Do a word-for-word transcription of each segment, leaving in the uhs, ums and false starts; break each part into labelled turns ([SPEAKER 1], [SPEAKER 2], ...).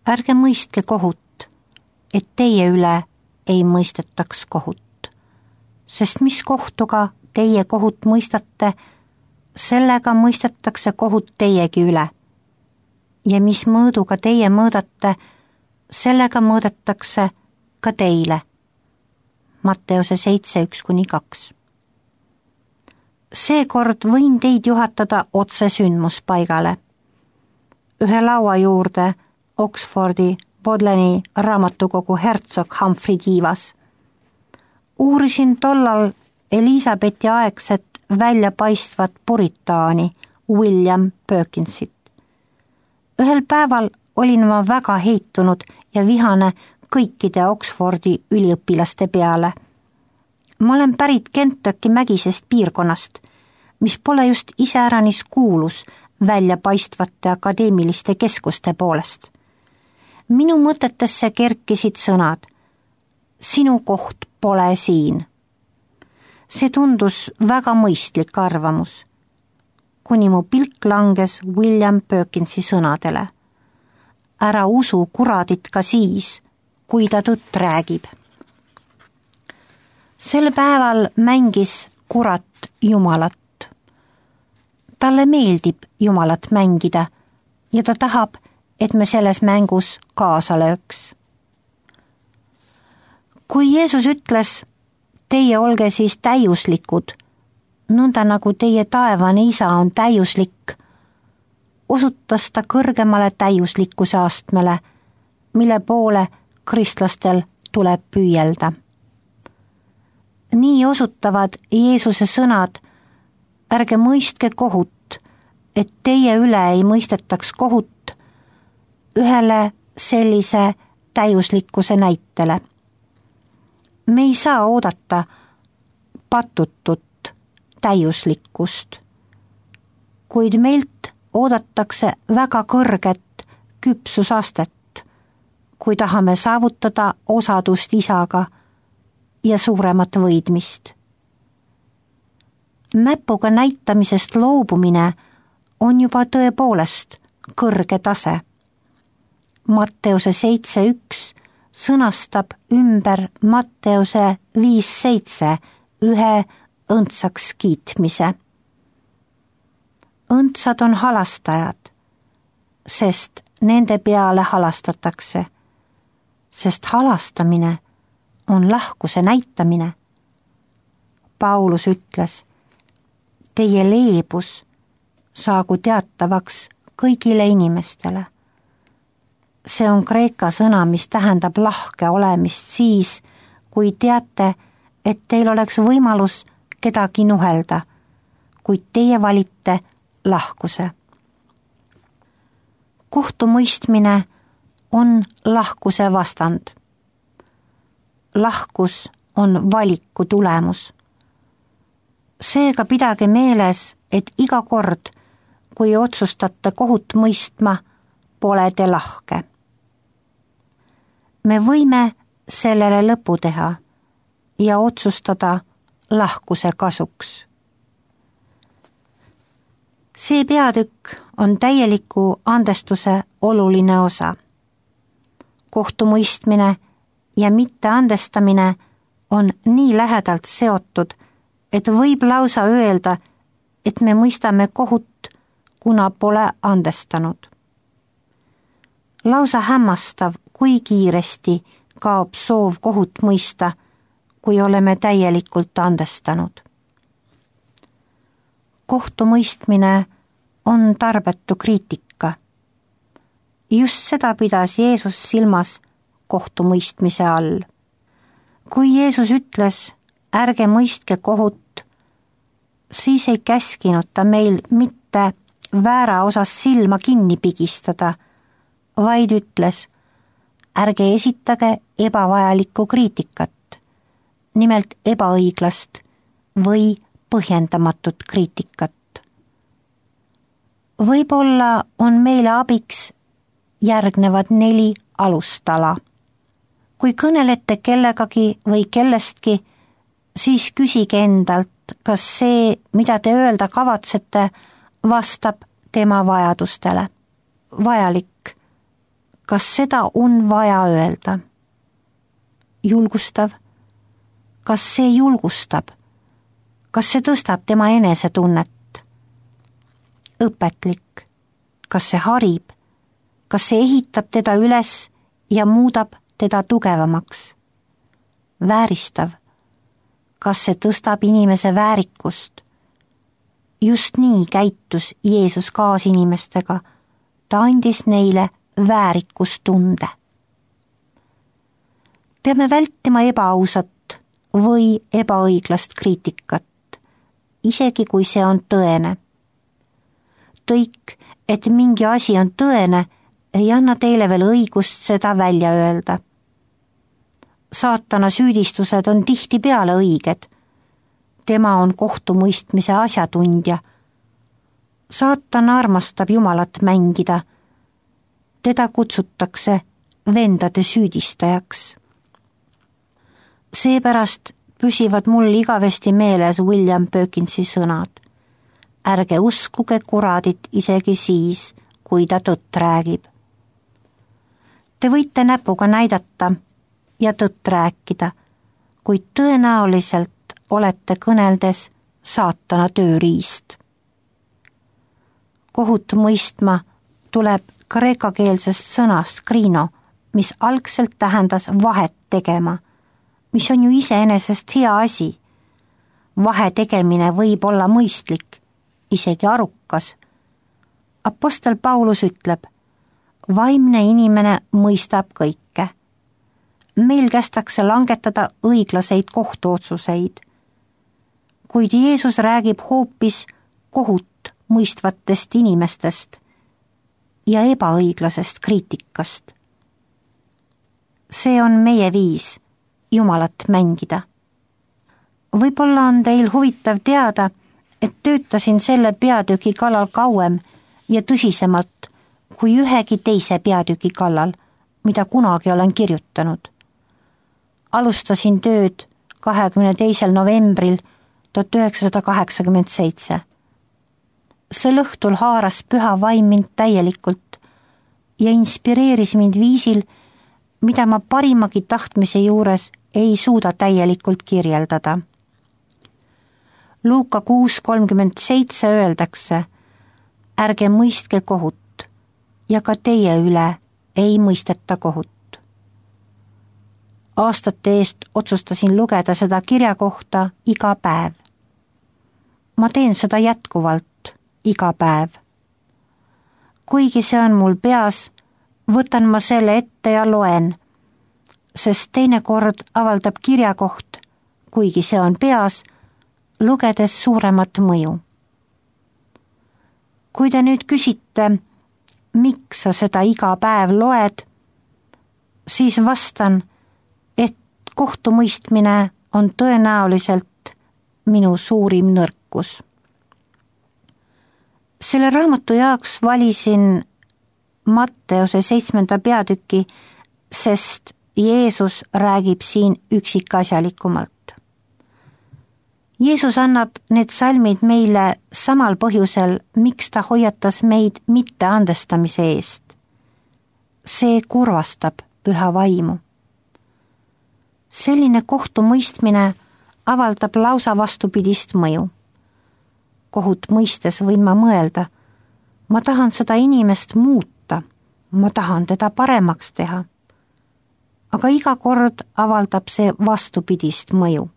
[SPEAKER 1] ärge mõistke kohut, et teie üle ei mõistetaks kohut, sest mis kohtuga teie kohut mõistate, sellega mõistetakse kohut teiegi üle. Ja mis mõõduga teie mõõdate, sellega mõõdetakse ka teile. Matteuse seitse, üks kuni kaks. Seekord võin teid juhatada otse sündmuspaigale. Ühe laua juurde Oxfordi Bodleiani raamatukogu Herzog Humphrey tiivas. Uurisin tollal Elisabethi aegset väljapaistvat puritaani William Perkinsit. Ühel päeval olin ma väga heitunud ja vihane kõikide Oxfordi üliõpilaste peale. Ma olen pärit Kentucky mägisest piirkonnast, mis pole just iseäranis kuulus väljapaistvate akadeemiliste keskuste poolest. Minu mõtetesse kerkisid sõnad, sinu koht pole siin. See tundus väga mõistlik arvamus, kuni mu pilk langes William Perkinsi sõnadele. Ära usu kuradit ka siis, kui ta tõtt räägib. Sel päeval mängis kurat Jumalat. Talle meeldib Jumalat mängida ja ta tahab, et me selles mängus kaasa lööks. Kui Jeesus ütles, teie olge siis täiuslikud, nõnda nagu teie taevane isa on täiuslik, osutas ta kõrgemale täiuslikkuse astmele, mille poole kristlastel tuleb püüelda. Nii osutavad Jeesuse sõnad, ärge mõistke kohut, et teie üle ei mõistetaks kohut, ühele sellise täiuslikkuse näitele. Me ei saa oodata patutut täiuslikkust, kuid meilt oodatakse väga kõrget küpsusastet, kui tahame saavutada osadust isaga ja suuremat võidmist. Näpuga näitamisest loobumine on juba tõepoolest kõrge tase. Matteuse seitse, üks sõnastab ümber Matteuse viis, seitse ühe õndsaks kiitmise. Õndsad on halastajad, sest nende peale halastatakse, sest halastamine on lahkuse näitamine. Paulus ütles, teie leebus saagu teatavaks kõigile inimestele. See on kreeka sõna, mis tähendab lahke olemist siis, kui teate, et teil oleks võimalus kedagi nuhelda, kuid teie valite lahkuse. Kohtumõistmine on lahkuse vastand. Lahkus on valiku tulemus. Seega pidage meeles, et iga kord, kui otsustate kohut mõistma, pole te lahke. Me võime sellele lõpu teha ja otsustada lahkuse kasuks. See peatükk on täieliku andestuse oluline osa. Kohtumõistmine ja mitteandestamine on nii lähedalt seotud, et võib lausa öelda, et me mõistame kohut, kuna pole andestanud. Lausa hämmastav, kui kiiresti kaob soov kohut mõista, kui oleme täielikult andestanud. Kohtumõistmine on tarbetu kriitika. Just seda pidas Jeesus silmas kohtumõistmise all. Kui Jeesus ütles, ärge mõistke kohut, siis ei käskinud ta meil mitte väära osas silma kinni pigistada, vaid ütles, ärge esitage ebavajalikku kriitikat, nimelt ebaõiglast või põhjendamatut kriitikat. Võib-olla on meile abiks järgnevad neli alustala. Kui kõnelete kellegagi või kellestki, siis küsige endalt, kas see, mida te öelda kavatsete, vastab tema vajadustele. Vajalik. kas seda on vaja öelda? Julgustav. Kas see julgustab? Kas see tõstab tema enesetunnet? Õpetlik. Kas see harib? Kas see ehitab teda üles ja muudab teda tugevamaks? Vääristav. Kas see tõstab inimese väärikust? Just nii käitus Jeesus kaasinimestega. Ta andis neile väärikustunde. Peame vältima ebaausat või ebaõiglast kriitikat, isegi kui see on tõene. Tõik, et mingi asi on tõene, ei anna teile veel õigust seda välja öelda. Saatana süüdistused on tihtipeale õiged. Tema on kohtumõistmise asjatundja. Saatan armastab Jumalat mängida. Teda kutsutakse vendade süüdistajaks. Seepärast püsivad mul igavesti meeles William Perkinsi sõnad. Ärge uskuge kuradit isegi siis, kui ta tõtt räägib. Te võite näpuga näidata ja tõtt rääkida, kuid tõenäoliselt olete kõneldes saatana tööriist. Kohut mõistma tuleb kreekakeelsest sõnast krino, mis algselt tähendas vahet tegema, mis on ju iseenesest hea asi. Vahe tegemine võib olla mõistlik, isegi arukas. Apostel Paulus ütleb, vaimne inimene mõistab kõike. Meil kästakse langetada õiglaseid kohtuotsuseid, kuid Jeesus räägib hoopis kohut mõistvatest inimestest ja ebaõiglasest kriitikast. See on meie viis Jumalat mängida. Võib-olla on teil huvitav teada, et töötasin selle peatüki kallal kauem ja tõsisemalt kui ühegi teise peatüki kallal, mida kunagi olen kirjutanud. Alustasin tööd kahekümne teisel novembril tuhat üheksasada kaheksakümmend seitse. Sel õhtul haaras püha vaim mind täielikult ja inspireeris mind viisil, mida ma parimagi tahtmise juures ei suuda täielikult kirjeldada. Luuka kuus kolmkümmend seitse öeldakse, ärge mõistke kohut ja ka teie üle ei mõisteta kohut. Aastate eest otsustasin lugeda seda kirja kohta iga päev. Ma teen seda jätkuvalt iga päev. Kuigi see on mul peas, võtan ma selle ette ja loen, sest teinekord avaldab kirjakoht, kuigi see on peas, lugedes suuremat mõju. Kui te nüüd küsite, miks sa seda iga päev loed, siis vastan, et kohtumõistmine on tõenäoliselt minu suurim nõrkus. Selle raamatu jaoks valisin Matteuse seitsmenda peatüki, sest Jeesus räägib siin üksikasjalikumalt. Jeesus annab need salmid meile samal põhjusel, miks ta hoiatas meid mitte andestamise eest. See kurvastab püha vaimu. Selline kohtumõistmine avaldab lausa vastupidist mõju. Kohut mõistes võin ma mõelda, ma tahan seda inimest muuta, ma tahan teda paremaks teha. Aga iga kord avaldab see vastupidist mõju.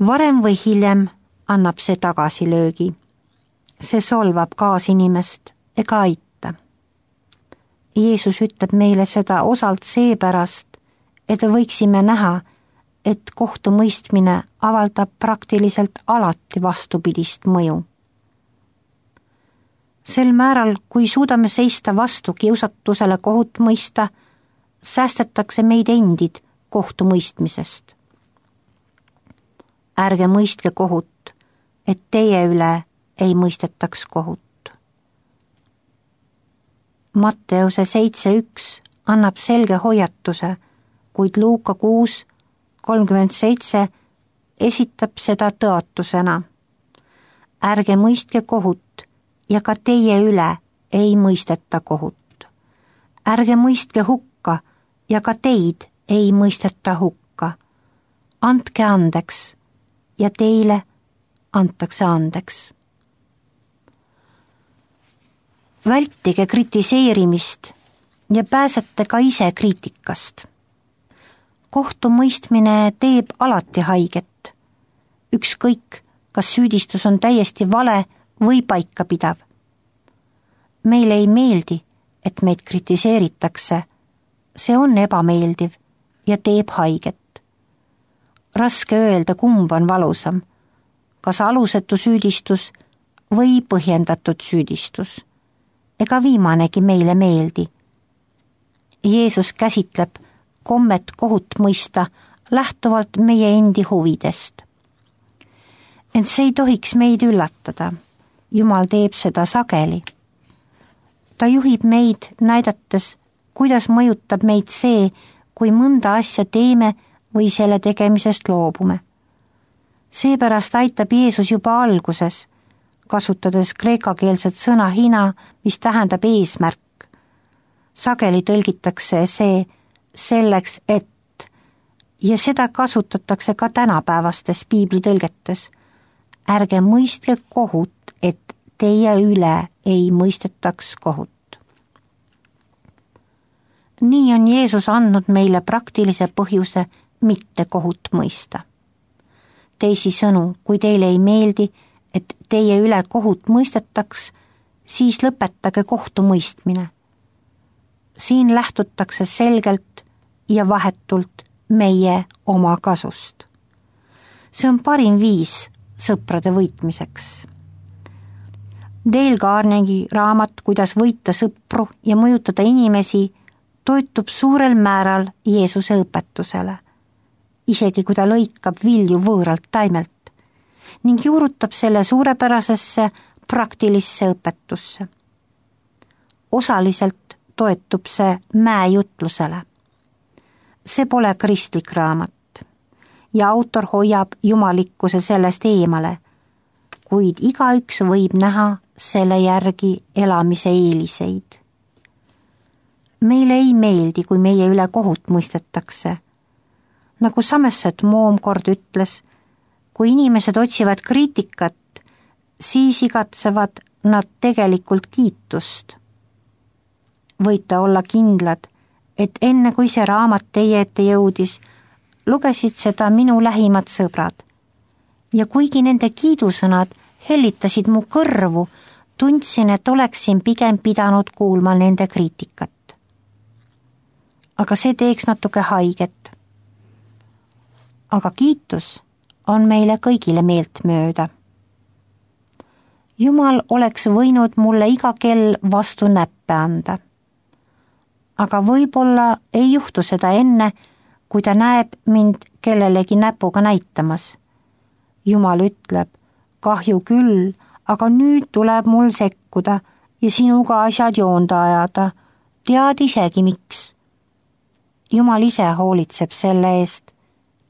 [SPEAKER 1] Varem või hiljem annab see tagasilöögi. See solvab kaasinimest ega aita. Jeesus ütleb meile seda osalt seepärast, et võiksime näha, et kohtumõistmine avaldab praktiliselt alati vastupidist mõju. Sel määral, kui suudame seista vastu kiusatusele kohut mõista, säästetakse meid endid kohtumõistmisest. Ärge mõistke kohut, et teie üle ei mõistetaks kohut. Matteuse seitse üks annab selge hoiatuse, kuid Luuka kuus kolmkümmend seitse esitab seda tõotusena. Ärge mõistke kohut ja ka teie üle ei mõisteta kohut. ärge mõistke hukka ja ka teid ei mõisteta hukka. Andke andeks ja teile antakse andeks. Vältige kritiseerimist ja pääsete ka ise kriitikast. Kohtumõistmine teeb alati haiget. Ükskõik, kas süüdistus on täiesti vale või paikapidav. Meile ei meeldi, et meid kritiseeritakse. See on ebameeldiv ja teeb haiget. Raske öelda, kumb on valusam, kas alusetu süüdistus või põhjendatud süüdistus. Ega viimanegi meile meeldi. Jeesus käsitleb kommet kohut mõista lähtuvalt meie endi huvidest. Ent see ei tohiks meid üllatada. Jumal teeb seda sageli. Ta juhib meid näidates, kuidas mõjutab meid see, kui mõnda asja teeme või selle tegemisest loobume. Seepärast aitab Jeesus juba alguses, kasutades kreekakeelset sõna hina, mis tähendab eesmärk. Sageli tõlgitakse see selleks, et, ja seda kasutatakse ka tänapäevastes piiblitõlgetes. Ärge mõistke kohut, et teie üle ei mõistetaks kohut. Nii on Jeesus andnud meile praktilise põhjuse mitte kohut mõista. Teisisõnu, kui teile ei meeldi, et teie üle kohut mõistetaks, siis lõpetage kohtumõistmine. Siin lähtutakse selgelt ja vahetult meie oma kasust. See on parim viis sõprade võitmiseks. Dale Carnegie raamat Kuidas võita sõpru ja mõjutada inimesi toitub suurel määral Jeesuse õpetusele, isegi kui ta lõikab vilju võõralt taimelt ning juurutab selle suurepärasesse praktilisse õpetusse. Osaliselt toetub see mäejutlusele. See pole kristlik raamat ja autor hoiab jumalikkuse sellest eemale, kuid igaüks võib näha selle järgi elamise eeliseid. Meile ei meeldi, kui meie üle kohut mõistetakse. Nagu Somerset Maugham kord ütles, kui inimesed otsivad kriitikat, siis igatsevad nad tegelikult kiitust. Võite olla kindlad, et enne kui see raamat teie ette jõudis, lugesid seda minu lähimad sõbrad. Ja kuigi nende kiidusõnad hellitasid mu kõrvu, tundsin, et oleksin pigem pidanud kuulma nende kriitikat. Aga see teeks natuke haiget. Aga kiitus on meile kõigile meeltmööda. Jumal oleks võinud mulle iga kell vastu näppe anda. Aga võib-olla ei juhtu seda enne, kui ta näeb mind kellelegi näpuga näitamas. Jumal ütleb, kahju küll, aga nüüd tuleb mul sekkuda ja sinuga asjad joonda ajada. Tead isegi miks. Jumal ise hoolitseb selle eest,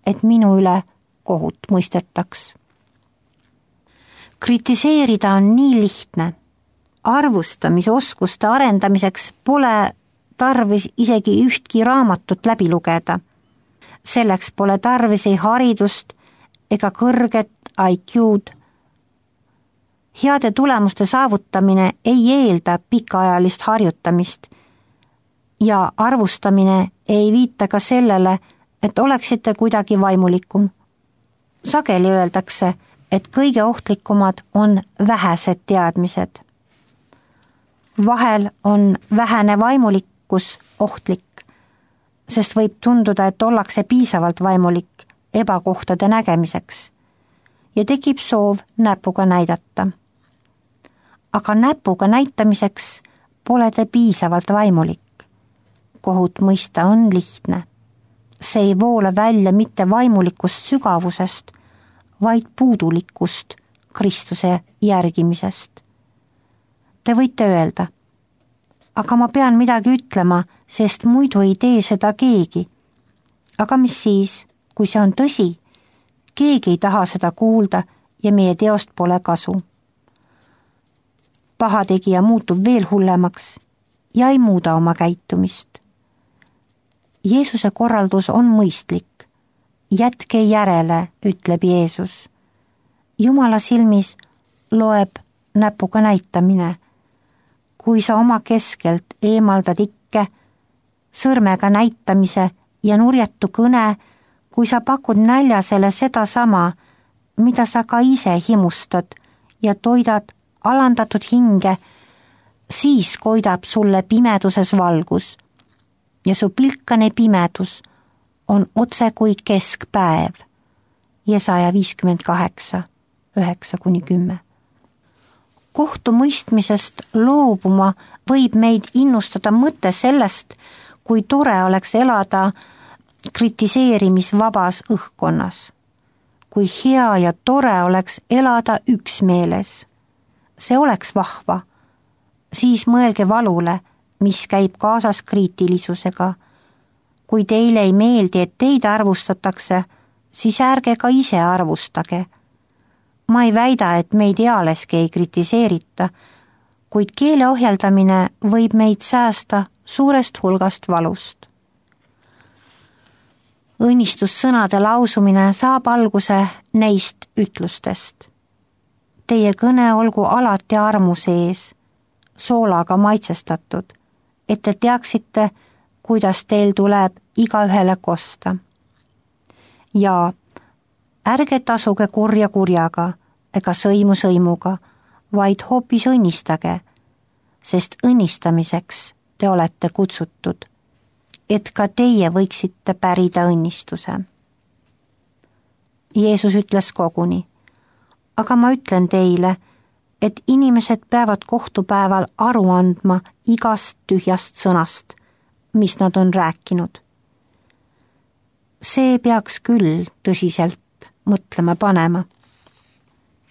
[SPEAKER 1] et minu üle kohut mõistetaks. Kritiseerida on nii lihtne. Arvustamisoskuste arendamiseks pole tarvis isegi ühtki raamatut läbi lugeda. Selleks pole tarvis ei haridust ega kõrget I Q'd. Heade tulemuste saavutamine ei eelda pikaajalist harjutamist ja arvustamine ei viita ka sellele, et oleksite kuidagi vaimulikum. Sageli öeldakse, et kõige ohtlikumad on vähesed teadmised. Vahel on vähene vaimulikkus ohtlik, sest võib tunduda, et ollakse piisavalt vaimulik ebakohtade nägemiseks ja tekib soov näpuga näidata. Aga näpuga näitamiseks pole te piisavalt vaimulik. Kohut mõista on lihtne. See ei voole välja mitte vaimulikust sügavusest, vaid puudulikust Kristuse järgimisest. Te võite öelda, aga ma pean midagi ütlema, sest muidu ei tee seda keegi. Aga mis siis, kui see on tõsi? Keegi ei taha seda kuulda ja meie teost pole kasu. Pahategija muutub veel hullemaks ja ei muuda oma käitumist. Jeesuse korraldus on mõistlik. Jätke järele, ütleb Jeesus. Jumala silmis loeb näpuga näitamine. Kui sa oma keskelt eemaldad ikke sõrmega näitamise ja nurjatu kõne, kui sa pakud näljasele seda sama, mida sa ka ise himustad ja toidad alandatud hinge, siis koidab sulle pimeduses valgus ja su pilkane pimedus on otse kui keskpäev. Jesaja viiskümmend kaheksa, üheksa kuni kümme. Kohtumõistmisest loobuma võib meid innustada mõte sellest, kui tore oleks elada kritiseerimisvabas õhkkonnas. Kui hea ja tore oleks elada üksmeeles. See oleks vahva. Siis mõelge valule, mis käib kaasas kriitilisusega. Kui teile ei meeldi, et teid arvustatakse, siis ärge ka ise arvustage. Ma ei väida, et meid ealeski ei kritiseerita, kuid keele ohjeldamine võib meid säästa suurest hulgast valust. Õnnistussõnade lausumine saab alguse neist ütlustest. Teie kõne olgu alati armu sees, soolaga maitsestatud, et te teaksite, kuidas teil tuleb igaühele kosta. Ja ärge tasuge kurja kurjaga ega sõimu sõimuga, vaid hoopis õnnistage, sest õnnistamiseks te olete kutsutud, et ka teie võiksite pärida õnnistuse. Jeesus ütles koguni, aga ma ütlen teile, et inimesed peavad kohtupäeval aru andma igast tühjast sõnast, mis nad on rääkinud. See peaks küll tõsiselt mõtlema panema.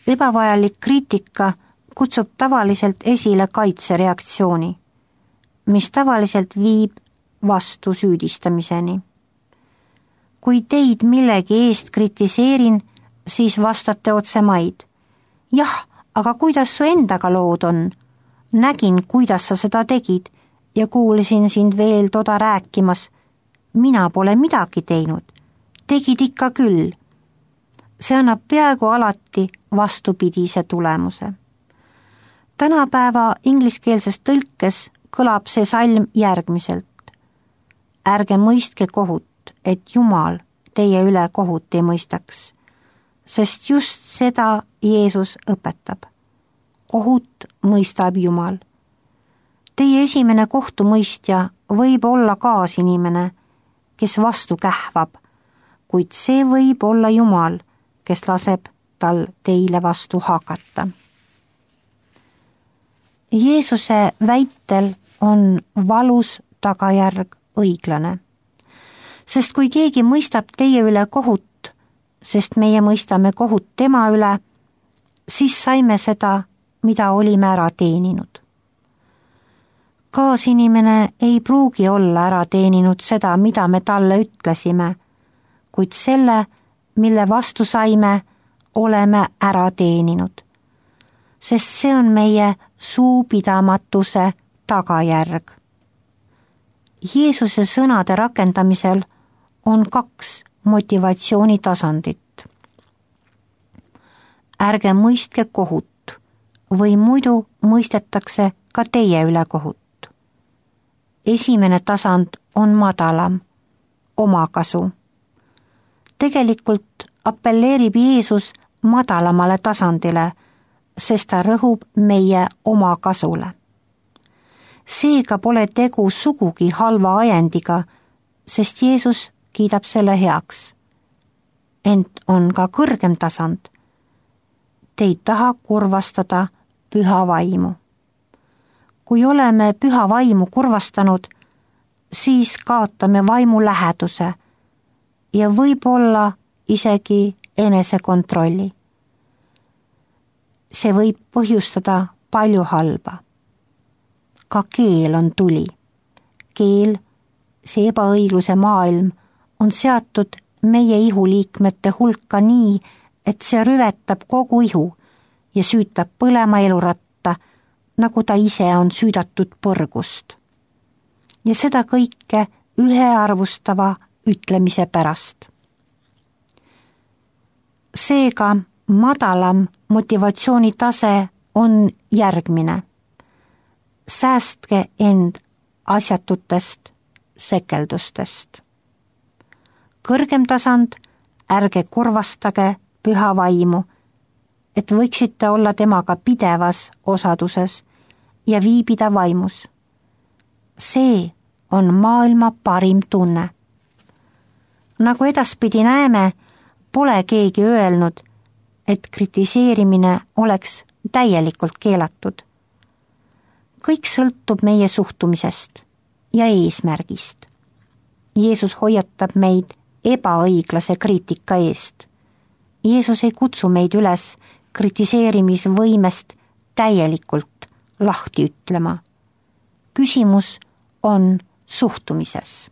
[SPEAKER 1] Ebavajalik kriitika kutsub tavaliselt esile kaitsereaktsiooni, mis tavaliselt viib vastu süüdistamiseni. Kui teid millegi eest kritiseerin, siis vastate otse maid. Jah, aga kuidas su endaga lood on? Nägin, kuidas sa seda tegid ja kuulsin sind veel toda rääkimas. Mina pole midagi teinud. Tegid ikka küll. See annab peaaegu alati vastupidise tulemuse. Tänapäeva ingliskeelses tõlkes kõlab see salm järgmiselt. Ärge mõistke kohut, et Jumal teie üle kohut ei mõistaks, sest just seda Jeesus õpetab. Kohut mõistab Jumal. Teie esimene kohtumõistja võib olla kaasinimene, kes vastu kähvab, kuid see võib olla Jumal, kes laseb tal teile vastu hakata. Jeesuse väitel on valus tagajärg õiglane, sest kui keegi mõistab teie üle kohut, sest meie mõistame kohut tema üle, siis saime seda, mida olime ära teeninud. Kaasinimene ei pruugi olla ära teeninud seda, mida me talle ütlesime, kuid selle, mille vastu saime, oleme ära teeninud, sest see on meie suupidamatuse tagajärg. Jeesuse sõnade rakendamisel on kaks motivatsioonitasandit. Ärge mõistke kohut või muidu mõistetakse ka teie üle kohut. Esimene tasand on madalam, omakasu. Tegelikult appelleerib Jeesus madalamale tasandile, sest ta rõhub meie omakasule. Seega pole tegu sugugi halva ajendiga, sest Jeesus kiidab selle heaks. Ent on ka kõrgem tasand. Te ei taha kurvastada püha vaimu. Kui oleme püha vaimu kurvastanud, siis kaotame vaimu läheduse ja võib-olla isegi enesekontrolli. See võib põhjustada palju halba. Ka keel on tuli. Keel, see ebaõigluse maailm, on seatud meie ihuliikmete hulka nii, et see rüvetab kogu ihu ja süütab põlema eluratta, nagu ta ise on süüdatud põrgust. ja seda kõike ühearvustava ütlemise pärast. Seega madalam motivatsioonitase on järgmine. Säästke end asjatutest sekeldustest. Kõrgem tasand, ärge korvastage püha vaimu, et võiksite olla temaga pidevas osaduses ja viibida vaimus. See on maailma parim tunne. Nagu edaspidi näeme, pole keegi öelnud, et kritiseerimine oleks täielikult keelatud. Kõik sõltub meie suhtumisest ja eesmärgist. Jeesus hoiatab meid ebaõiglase kriitika eest. Jeesus ei kutsu meid üles kritiseerimisvõimest täielikult lahti ütlema. Küsimus on suhtumises.